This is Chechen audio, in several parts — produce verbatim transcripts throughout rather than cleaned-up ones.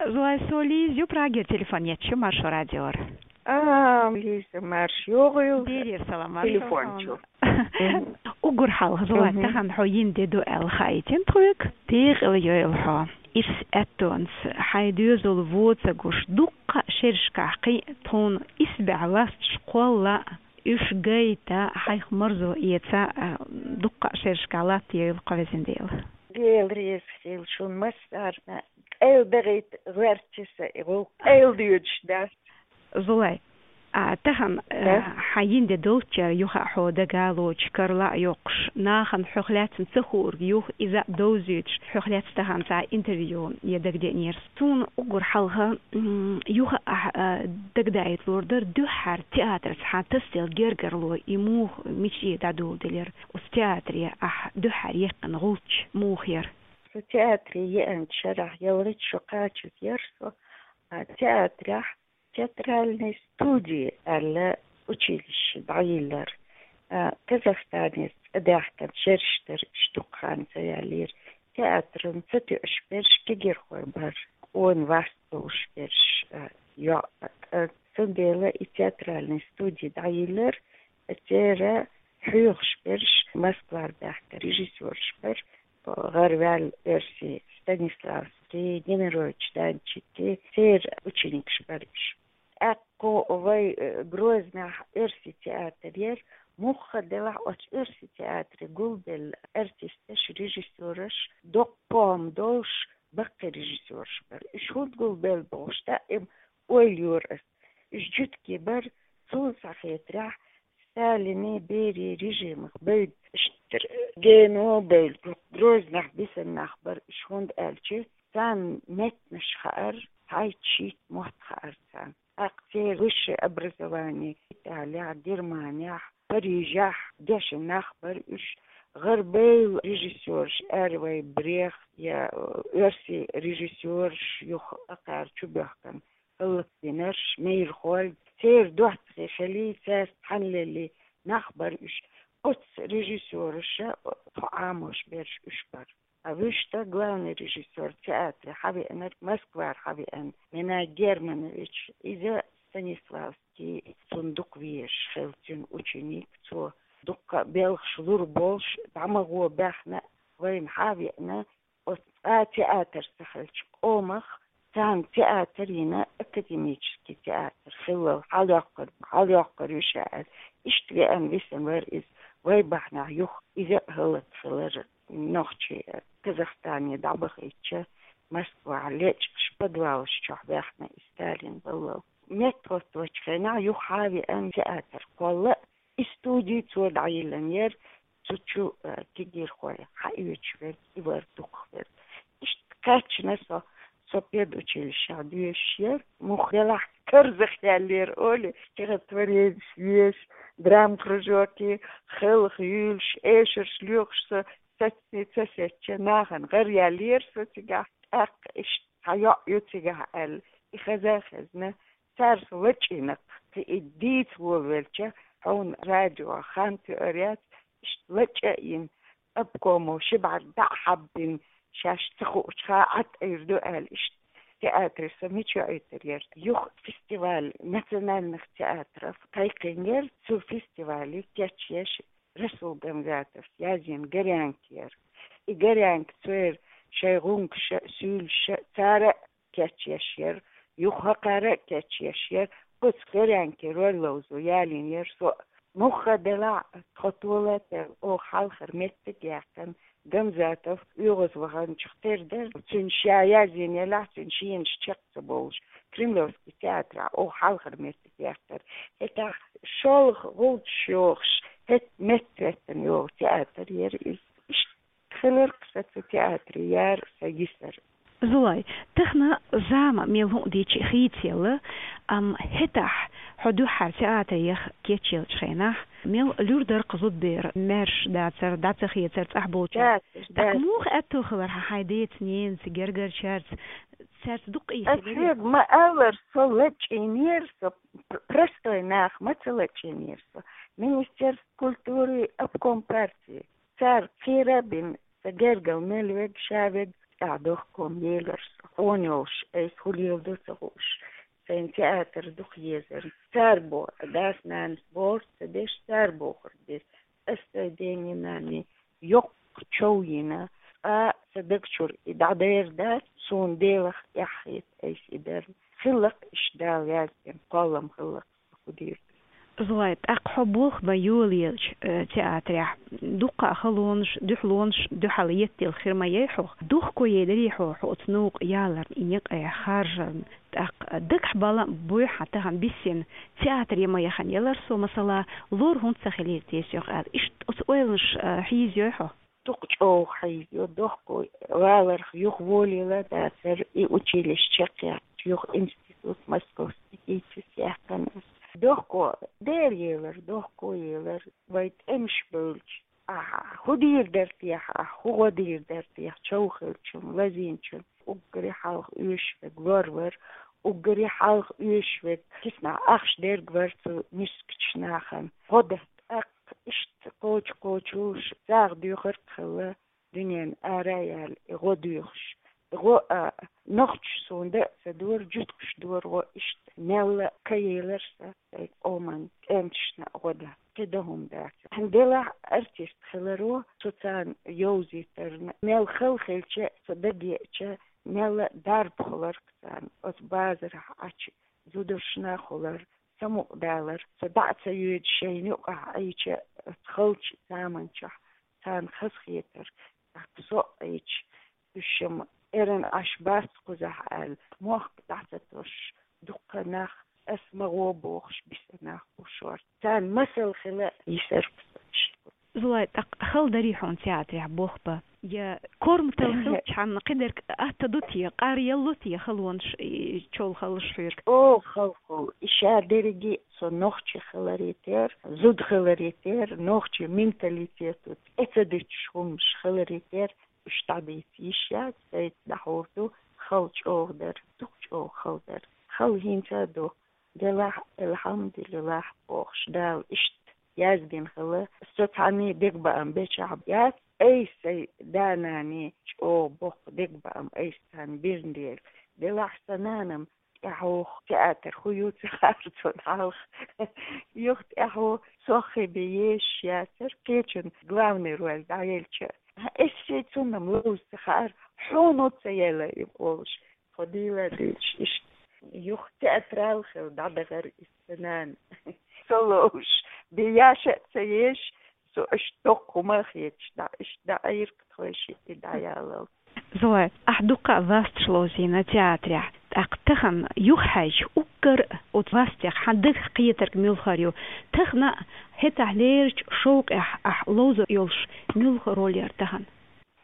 Зулай, со Лиза ю, Прагера телефон етташ, марша Радиора. А, Лиза, марша йоагӀийла. Берера салам, марша телефон салам чу. Уггар хьалха, Зулай, тахан хьо йина ди ду аьлла хаийтина тхоьга, декъала йойла хьо. Ирс аьттонца хьай доьзал воцагуш, дуккха шерашкахь кхин тхуна исбаьхьа ласташ кхолла, уьш гайта, хьайх марзо эца, а, дуккха шерашкахь латта йойла кхо везан Дела. Дела реза хилва шун массарна, къайла дагӀийта гӀерташ са и гӀулакх, къайла доьдуш дац. Зулай, а, тахан, а, хьан йина ди долччара юха а хьо дага лоцуш, карла а йоккхуш, нахана хьох лаьцна ца хуург юха иза а довзуьйтуш, хьох лаьцна тахан цхьа интервью е дагадеанера. Суна уггар хьалха, м, юха а, а, дагадаийта лур дара, дуьххьара театрца хьан тасаделла гергарло и муха, мича дӀадоладелира? Оцу театре ахь дуьххьара яьккхина гӀулч муха яра? Со театре еанчу шарахь ялхитта шо кхачаза яра со, а, театрехь театральный студия аьлла училище дӀайиллира. А, Казахстанера цӀа даьхкина шераш дара, уьш дукха хан ца яьллера. Театран ца тоьуш берш кегирхой бара, къона васт болуш берш, а, йоӀ, а, цундела и театральный студия дӀайиллира, церан хьоьхуш берш Москвара баьхка режиссёраш бара, гӀараваьлла оьрсий Станиславский, Немирович Данчики, церан ученикаш бара уьш. ТӀаккха вай, э, Грознахь оьрсий театр яра, мухха делахь оцу оьрсий театре гулбелла артисташ, режиссёраш, доккха пом долуш, баккхий режиссёраш бара. Уьш хӀунда гулбелла бохуш, даим ойла йора ас. Уьш жуьгтий бара, суна схьахетарехь, Сталинан, берийн режимах бевдда, иштта гено бевлла, Грознахь бисина нах бара уьш, хӀунда аьлча царна меттанаш хаьара, цхьайтта-шийтта мотт хаьара царна. ТӀаккха церан высшее образование Италехь, Германехь, Парижехь дешна нах бара уьш, гӀарабевлла режиссёраш, аьлла вай, Брехт я, э, оьрсий режиссёраш юха кхара чубоьхкина хӀаллакдинарш, майрхой, церан доттагӀий хилий, цаьрца хьанлелий нах бара уьш. Оцу режиссёраша тхо Ӏамош берш уьш бара. А вуьшта главный режиссёр театре хьавеанарг, Москвара хьавеана Минай Германович, иза Станиславский, цунна дукха везаш хилла цуьнан ученик, цо дуккха а белхаш лур болуш, дӀа ма гӀо баьхна, вайна хьавеана, оцу цкъа а театр ца хилча къомах, царна театр йина, академический театр хиллал хьалйоккхур, хьалйоккхур ю ша аьлла. Иштта веана висина вара иза, вай бахьанехь юха иза а хӀаллакьхилира, нохчий Казахстане дӀабахийтича, Москвахь лечкъаш подвалаш чохь баьхна и Сталин баллал. МеттахӀоттавечу хенахь юха хьавеана театр кхолла, и студи цо дӀайиллина яра, цу чу, э, кегирхой хьаоьцуш верг, и вара дукхахверг. Иштта кхаьчна со, со педучилищехь доьшуш яра, муха делахь карзахъяьллера, олий, стихотворенеш еш, драма кружоке, хелха юьйлуш, эшарш лоьхуш со, сацни ца сецча, нахана гӀар яьллера со цигахь, тӀаккха иштта цхьа йоӀ ю цигахь аьлла, и хеза а хезна, цара со лачкъийна, кхин и дийца волавелча, хьуна радио хан тоьар яц, иштта лачкъа а йина, обкомо ши бӀаьрг дӀа а хьаббина, шаьш ца хуучу хаа Ӏад айр ду аьлла, иштта театре со мича йоӀуьйтур яра. Юха фестиваль национальных театров кхайкхийна яра, цу фестивале кечъеш Расул Гамзатовс язйина «Горянка» яра. И «Горянка» церан шайн гӀунгаш а, суьйлаш а, цара а кечъеш яра, юха хӀокхара а кечъеш яра, оцу «Горянке» роль ловзо ялийна яра со. Мухха делахь а, тхо толател оха хьалхара меттиг а яьккхина, Гамзатов оьгӀазваханчух тера дара, цуьнан ша язйина елахь, цуьнан шенаш чекх ца бовлуш, Кремлевский театрахь оха хьалхара меттиг яьккхира. ХӀетахь шолгӀа гӀулчаш йохуш, хӀетахь меттахӀоьттина йогӀу театр яра иза. Иштта хилира-кх сан цу театре яра сан йисар. Зулай, тахана зама мел хӀуъа дийча хийцаелла, амма хӀетахь хьо дуьххьара театре яха кечъеллачу хенахь, мел луьра дара-кх зудбер, маьрша дацар, дӀа ца хецар, цӀахь болчара. Дацар, дацар. ТӀаккха муха аьтто хилар хьан хьайн деца, ненаца, гергарчаьрца, цаьрца дуккха а хилар? Ас хьоьга ма-аллара, со лачкъийнера, со пр-, простой нах ма ца лачкъийнера со. Министерство культуры, обком партии. Цара кхера а бина, сан гергал мел верг, ша верг, тӀаьхьа дохком елар со. Хьона йолуш айса хӀун леладо ца хууш, сайна театр дукха езар. Цара бо, дас-нанас бохург ца деш, цара бохург деш. Ас сайн дений-нанний йоккха чов йина, цкъа сан даг чуьра и дӀадер дац, суна Делах эхь хета айса и дар. Хилла-кх иштта Дала яздина, кхоллам хилла-кх сан хӀун дийр ду. Зулай, тӀаккха хьо болх бан йолаелча, э, театрехь, дуккха а халонаш, дуьхьалонаш дуьхьал етталла хир ма яй хьох. Дохко яйдарий хьо, хьо оцу новкъа яларна, и некъа харжарна? ТӀаккха дагахь бала буй хьан тахана биссина, театр ян ма яхана ялар со, масала, лор хӀунда ца хилийра те соьх аьлла? Иштта оцу ойланаш, а, хьийзайой хьо? Дукха чӀогӀа хьийзайо, дохко валарх юха волийла дацара, и училище чекхъяьккхича, юха институт, Московский, ТИЦИС яьккхина ас. Дохко, Дела елар, дохко елар, вай тӀемаш бевлча, ахьа хӀун дийр дара техьа, ахьа хӀун гӀо дийр дара техьа, чов хиллачунна, лазийначунна, уггаре хьалха оьшуш верг лор вара, уггаре хьалха оьшуш верг киснахь ахча дерг вара цу мискачу нахана. ГӀо дан, тӀаккха иштта кхочу-кхочуш сагӀа доьхург хилла, дуьненна ара а яьлла, и гӀо доьхуш. И гӀо а, нохчаша суна дан а ца дора, жуьгташа дора гӀо иштта. Мелла а ка елар сан, сайн къоман тӀематашна а гӀо дан. КхидӀа хӀума дац. Делахь артист хиларо, со царна йовзийтарна, мел хала хилча, со дагеача, мелла дарба хилар-кх царна, оцу базарахь Ӏачу зударшна а хилар, самукъадалар, со дӀа а ца йоьдуш шайна юкъахь Ӏийча, оцу халчу заманчохь царна хазахетар, тӀаккха со а Ӏийча, уьш-м эрна Ӏаш бац кхузахь аьлла, мохк дӀа ца тосуш, дуккха нах, ас ма гӀо бохуш, биса нах бу шорта. Царна масал хила йисар-кх со иштта. Зулай, тӀаккха хала дарий хьуна театрехь болх бан? Я корматалла хилчхьана кхидерг атта ду те, къаръялло те халонаш, и, чов халлаш хьоьга? О, хала, хала. И ша дерриге со нохчи хиларе терра, зуда хиларе терра, нохчи менталитето тӀе ца дуьтуш хӀуманаш хиларе терра, уьш дӀадийца йиш яц, сайца дӀахьур ду, хала чӀогӀа дара, дукха чӀогӀа хала дара. Хала хӀинца а ду, делахь, алхьамдулиллахь бохуш, Дала иштта яздина хилла. Со цхьанний дегабаам бечахь яц, айса сайн да-нанний чӀогӀа боккха дегабаам айса царна бирна дела. Делахь сан нанам тӀаьхьо театр хӀун ю ца хаьара цунна хьалха. Юха тӀаьхьо соххе бен езаш яцара, кхечун главный роль дӀаелча. Ас шен цунна-м ловза ца хаьара, хьуна ца елла и олуш. Тхо дийла а дуьйлуш иштта. Юха театрал хилла дӀадахара иза сан нана. Со ловзуш, бен яша а ца еш, со иштта доккха хӀума а хеташ, дӀа, иштта дӀаайра-кх тхойшиъ и дӀаялал. Зулай, ахь дуккха а васташ ловзийна театрехь, тӀаккха тахана юхахьаьжча, уггар а оцу вастех хьан дагах кхетарг муьлхара ю? Тахана а, хӀетахь лерачу шовкъехь ахь ловзур йолуш муьлха роль яра тахана?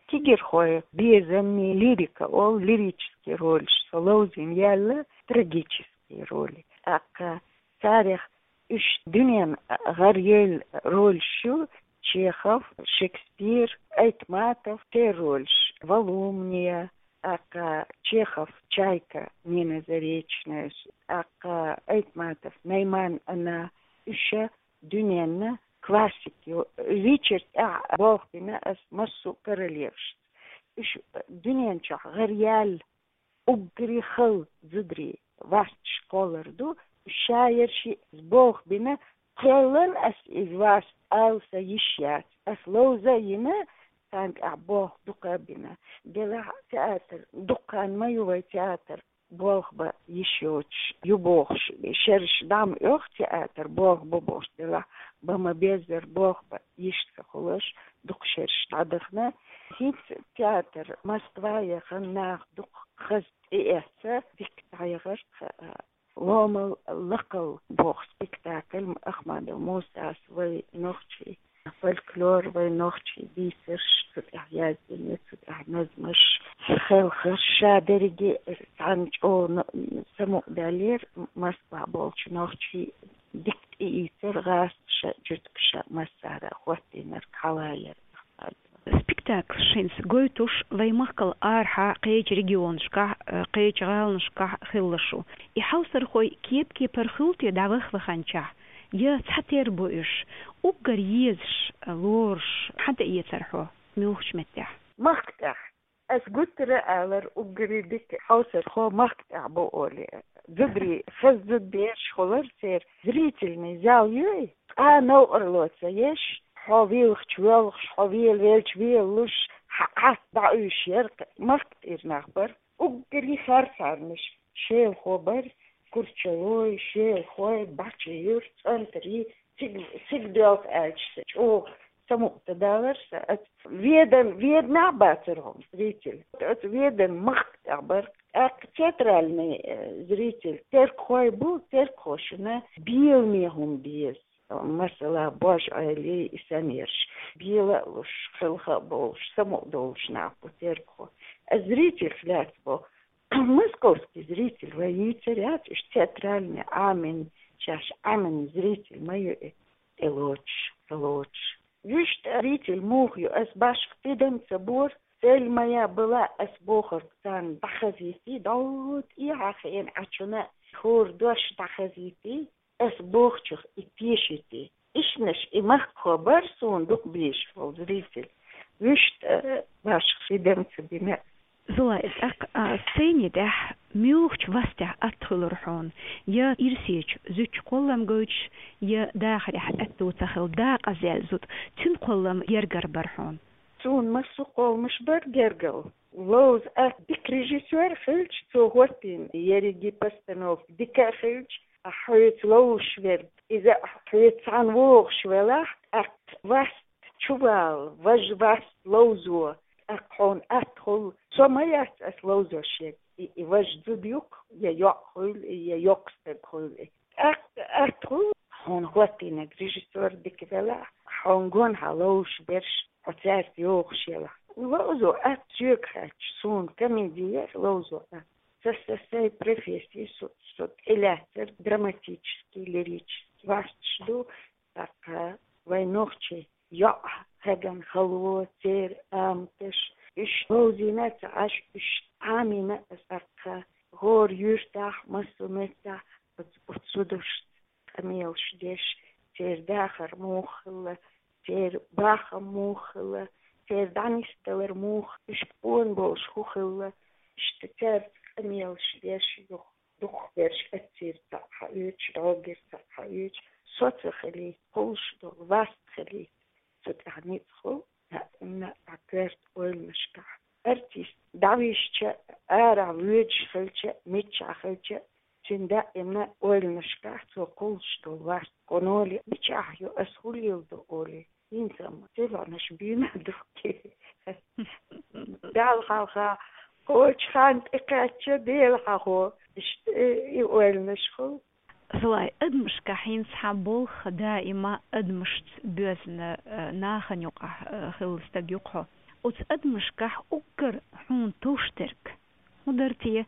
Тигирхой, безамни, лирика олу, лирический ролеш со ловзийна яьлла, трагический роли. ТӀаккха царех уьш дуьненна гӀаръяьлла ролеш ю: Чехов, Шекспир, Айтматов, тера ролеш, Волумния, тӀаккха Чехов, Чайка, Нина Заречная, тӀаккха Айтматов, Найман-Анна, уьш дуьненна классик ю. Вичара тӀехь болх бина ас массо а королевашца. Уьш дуьнен чохь гӀаръяьлла, уггаре хала зударий, васташ кхоллар ду. Уьш шаерш болх бина, кхоллал ас иза васт ала сан йиш яц. Ас ловза а йина, царна тӀехь болх дукха а бина. Делахь театр, дуккха хан ма ю вай театр болх бан йиш йоцуш ю бохуш, шераш дӀа ма оьху театр болх бан бохуш, делахь бан ма-беззара болх бан йиш ца хуьлуш, дукха шераш дӀадахана. ХӀинца театр Москва яхана, нах дукха хаза тӀеэцна, дика дӀаяхара тхан. «Ломал лакхал» боху спектакль Ахмадов Мусас вай нохчий фольклор, вай нохчий дийцарш, цу тӀехь яздина, цу тӀехь назмаш, хелхарш, ша дерриге а цхьаьна чӀогӀа самукъадаьллера, Москва болчу нохчий дика тӀеийцира гӀазкхаша, жуьгташа, массара а хӀоттийнарг хьалаайира Ахмадова. Спектаклаш хӀинца гойтуш вай махкал арахьа кхечу регионашкахь, э, кхечу гӀаланашкахь хилла шу. И хьовсархой кеп-кепара хуьлу те дӀаваха-ваханчохь, я цхьатерра бу уьш? Уггар езаш, э, лоруш хьан тӀеэцара хьо, муьлхачу меттехь? Махка тӀехь. Ас гуттара а алар, уггаре дика хьовсархо махка тӀехь бу олий. Зударий, хаза зуда бераш хулар церан, зрительный зал юй, ткъа новкъарло ца еш, хьо велахча воьлхуш, хьо вела велча велалуш, хьа Ӏад дӀаӀуьйш яр, махка тӀера нах бар. Уггаре харцхьарнаш, шелахо бар, курчалой, шелахой, бачи юр, цӀантарий, цига, цига доьлху аьлча, чӀогӀа самукъадалар сан. Ас ведан, веданехь а бацар хьуна зритель. Ас ведан махка тӀехь бар. ТӀаккха театральный, э, зритель, тергахой бу, тергахошна беламе хӀума беза. Масала, бож Ӏелий, и санна ерш, бела а луш, хелха а болуш, самукъадолуш нах бу тергахо. Ас зрительх лаьцна боху. Московский зритель вай йийцар яц, уьш театральный Ӏамийна, шаьш Ӏамийна зритель ма ю и, тӀелоцуш, ца лоцуш. Вуьшта зритель муха ю, ас башха тидам ца бора, цель моя была, ас бохург царна дӀахазийтий, дӀо тӀехьа хиъна Ӏачунна хӀора дош дӀахазийтий, ас бохучух и тешийтий. Ишнаш и махкахо бар суна дукха безаш волу зритель. Вуьшта, э, башха тидам ца бина. Зулай, тӀаккха, а, сцени тӀехь муьлхачу вастехь атта хуьлура хьуна, я ирсечу зудчун кхоллам гойтуш, я дахарехь аьтту ца хилла дакъазъелла зуда, цуьнан кхоллам гергара бара хьуна? Суна массо а кхолламаш бара гергара. Ловза атта дика режиссёр хилча, цо хӀоттийна ерриге постановка дика а хилча, а хьоьца ловзуш верг, иза а хьоьца цхьаьна вогӀуш велахь, тӀаккха васт чувала, важа васт ловзо, тӀаккха хьуна атта хуьлу. Со ма яц ас ловзош ерг, и, и важа зуда ю-кх, я йоӀ хуьлу, я йоккха стаг хуьлу. ТӀаккха атта хуьлу, хьуна хӀоттийнарг режиссёр дика велахь, хьуна гонахьа ловзуш берш, хьо цаьрца йогӀуш елахь. Ловзо атта соьга хаьттича, суна комеди яра ловзо атта. Сан, сан, сайн профессия, со, со тӀелаьцнарг драматический, лирический васташ ду, тӀаккха вайн нохчий йоӀ, хьеган хало, церан аматаш, уьш ловзийна а ца Ӏаш, уьш Ӏамийна а ца Ӏаш, тӀаккха хӀора юьртахь, массо а меттехь оцу, оцу зударшца къамелаш деш, церан дахар муха хилла, церан бахам муха хилла, церан дӀанисдалар муха, уьш къона болуш хӀун хилла, иштта цаьрца къамелаш деш юха. Дукхахберш эццера цхьаъ хьаоьцуш, дӀогара цхьаъ хьаоьцуш, со ца хилий, кхуллуш долу васт хилий, цу тӀехь ницкъ хуьлу, даимна а коьрта ойланашкахь. Артист дӀависча, арахь воьдуш хилча, миччахь хилча, цуьнан даимна ойланашкахь цо кхуллуш долу васт. Кху ноле мичахь ю, ас хӀун леладо олий. ХӀинца-м телефонаш бийна ду-кх. Далла хьалха кхочу хан тӀекхаьчча, Дела хьахо, иштта и ойланаш хуьлу. Зулай, адамашкахь хӀинца хьан болх даима адамашца боьзна, э, нахана юкъахь, э, хилла стаг ю-кх хьо. Оцу адамашкахь уггар хьуна товш дерг хӀун дара те,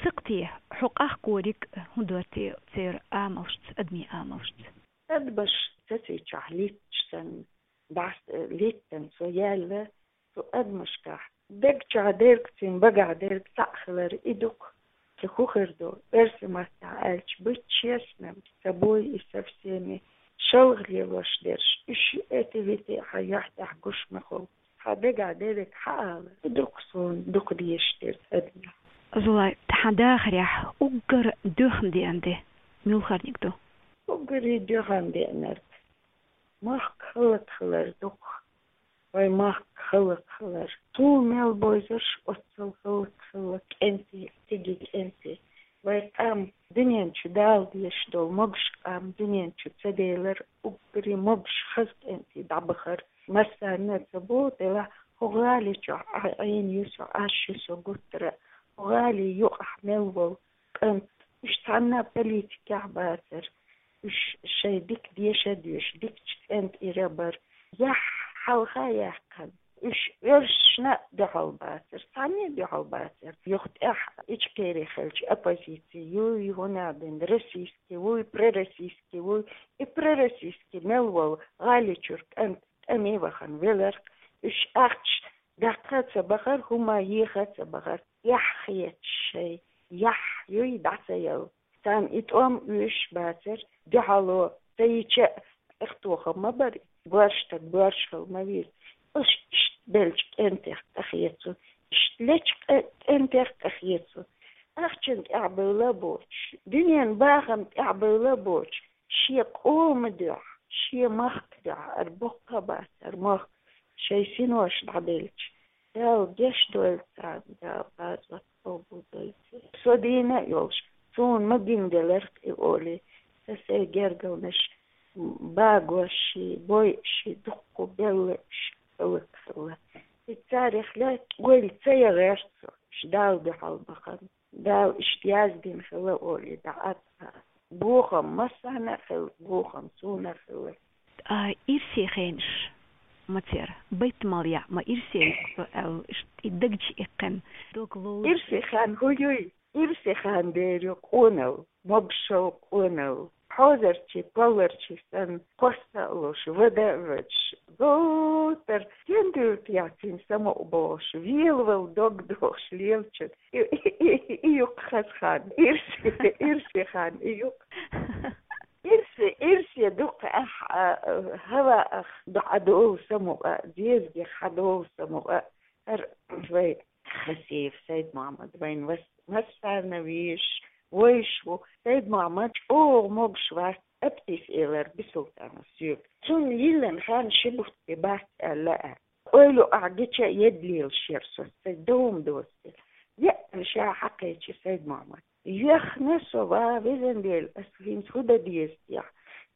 сакъ те, хьо къахкориг хӀун дара те церан амалшца, адамийн амалшца? Адамаш сацийчохь литташ санна, дӀас-, литтана со яьлла, цу адамашкахь дагчохь дерг, цуьнан багахь дерг цхьаъ хилар и ду-кх. Ца хӀун хир ду, оьрсийн маттахь аьлча, быть честным с собой и со всеми, шалха лелош дерш, уьш эти-вити хьан юьхь тӀехь гуш ма хуьлу. Хьан дагахь дерриг хьаала, и ду-кх суна дукха дезаш дерг адамехь. Зулай, хьан дахарехь уггар доьхна деана де муьлхарниг ду? Уггаре доьхна деанарг махка хӀаллакьхилар ду-кх, вайн махка хӀаллакьхилар. Суна мел бовзарш оццул хӀаллакьхилла кӀентий, стиги кӀентий. Вайн къам дуьнен чу Дала дезаш долу могуш къам дуьнен чу ца делар, уггаре могуш хаза кӀентий дӀабахар. Массарна а ца боху делахь, хӀокху гӀали чохь Ӏа-, Ӏийна ю со, Ӏаш ю со гуттара а. ХӀокху гӀали юкъахь мел волу кӀант, уьш цхьанна а политикехь бацара. Уьш шайн дика деша а доьшуш, дикачу кӀентера бара. Яхь хьалха яьккхина, уьш оьрсашна а дуьхьал бацара, цхьанна а дуьхьал бацара. Юха тӀехь Ичкери хилча, оппозици юй, хӀунда аьлла, российский вуй, пророссийский вуй, и пророссийский мел волу гӀали чуьра кӀант тӀаме вахана велар-кх. Уьш ахча даккха а ца бахара, хӀума еха а ца бахара, эхь хеташ шайн, яхь юй дӀа ца яла. Царна и тӀом оьшуш бацара, дуьхьало ца йича а, тӀехтохам ма бара, боьрша стаг боьрша хила ма веза. Уьш иштта беллачу кӀентех къахецо, Иштта лечкъа кӀентех тӀехьецу. Ахчан тӀехь бевла боцуш, дуьнен бахам тӀехь бевла боцуш, шен къома дуьхьа, шен махка дуьхьа, ара боккха бац, ара мах шайн синош дӀабелча. Дала гечдойла царна, Дала базот къобалдойла. Со дийна а йолуш, суна ма гингеларх и олий, сан сайн гергалнаш багош ши, бойуш ши, дуккха белла уьш хӀаллакьхилла. И царех лаьтта ойла ца ян гӀерта со, уьш Дала дуьхьал бахана. Дала иштта яздина хилла олий, дӀа а ца. Бохам массарна а хилла, бохам суна а хилла. А ирсе хенаш ма цера, байтамал яа ма ирсе юкъа со аьлла, иштта и дагчу иккхина, дог ловза. Ирсе хан хӀу юй? Ирсе хан дер ю къонал, могушал къонал. Хьозарчий, полларчий санна, кхосса а луш, вада а вадаш, гӀовтар, стен дуьллу техь цуьнан самукъа бохуш, велавала дог дохуш лелачун. И, и, и, и юккъе хаза хан, ирсе, ирсе хан, и юккъе. Ирсе, ирсе дукха ахь, а, хӀаваах дӀадолу самукъа, дезагех хьадолу самукъа, хӀара вай Хасиев Сайд-Мохьмад, вайн вас-, массарна везаш, вайш ву. Сайд-Мохьмад чӀогӀа могуш вац, Аптис элира Бисултанов соьга. Цунна йиллина хан ши бутт бен бац аьлла а. Ойла юкъахь гича а едда лелаш яра со, сайн дов-м доцу дела. Еана ша хьакхечи Сайд-Мохьмад. Йоьхна со, ва везан Дела, ас хӀинца хӀу дан деза техьа?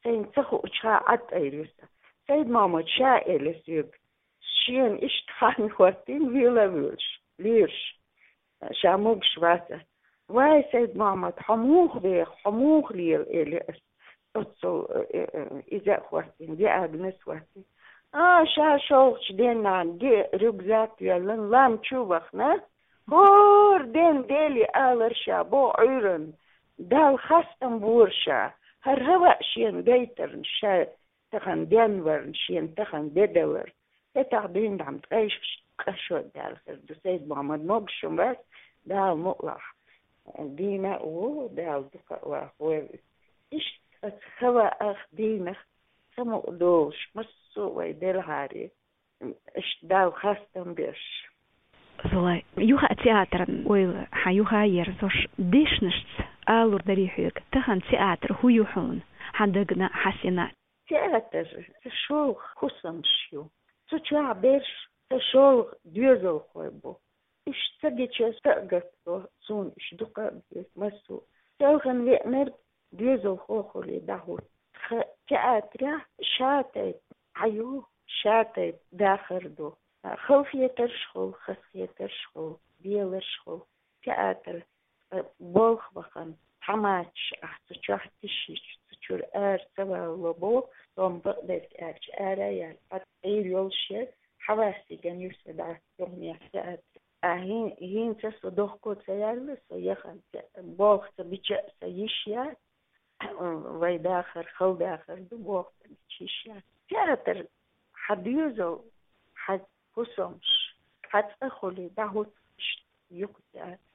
Сайна ца хуучу хан Ӏад айра ю сан. Сайд-Мохьмад ша элира соьга. Шена иштта хан хӀоттийна, вела а воьлуш, лоьраш. Ша могуш вац. Вай, Сайд-Мохьмад, хьо муха веха, хьо муха лела, элира ас. Оццул, э, э, э, иза а хӀоттийна, диагноз хӀоттийна. А, ша шолгӀачу денна, диъ рюкзак йоьллина, лам чу вахана. ХӀора ден Деле алара ша, боху Ӏуьйранна: Далла хастам бора ша, хӀара хӀаваъ шена гайтарна, ша тахана денварна, шена тахана де даларна. ХӀетахь дуьйна дӀа ма ткъайшкаш къа шо даьлла хир ду. Сайд-Мохьмад могушам вац, Дала мукъалахь. Дийна а ву, Дала дукха а вахавойла иза. Иштта оцу хӀаваах, дийнах самукъа долуш, массо а вай делахьаре, иштта Далла хастам беш. Зулай, юха а театран ойла хьан юха а ерзош, дешнашца алур дарий хьоьга, тахана театр хӀу ю хьуна, хьан дагна, хьан сина? Театр, сан шолгӀа хӀусамаш ю. Цу чохь берш сан шолгӀа доьзалхой бу. Уьш ца гича, сан а гатдо, суна уьш дукха а беза, массо а. Селхана веанарг доьзалхо хуьлий дӀахӀутту. Тхан театрехь шатайпа Ӏа ю, шатайпа дахар ду. Халахетарш хуьлу, хазахетарш хуьлу, беларш хуьлу. Театр, э, болх бахана, тхьаматаш ахь цу чохь тишийча, цу чуьра ара ца валло боху, со-м бакъдерг аьлча, ара а яьлла, хьан Ӏийр йолуш яра, хьан ваьссиган ю со дӀа, юханехь театр. А хӀин-, хӀинца со дохко ца яьлла, со яхана те-, болх ца бича а, сан йиш яц, вай дахар, хала дахар ду, болх ца бича йиш яц. Театр, хьан доьзал, хьан хӀусамаш, хьан цӀа хуьлий, дӀахӀутту иштта юкъа театр.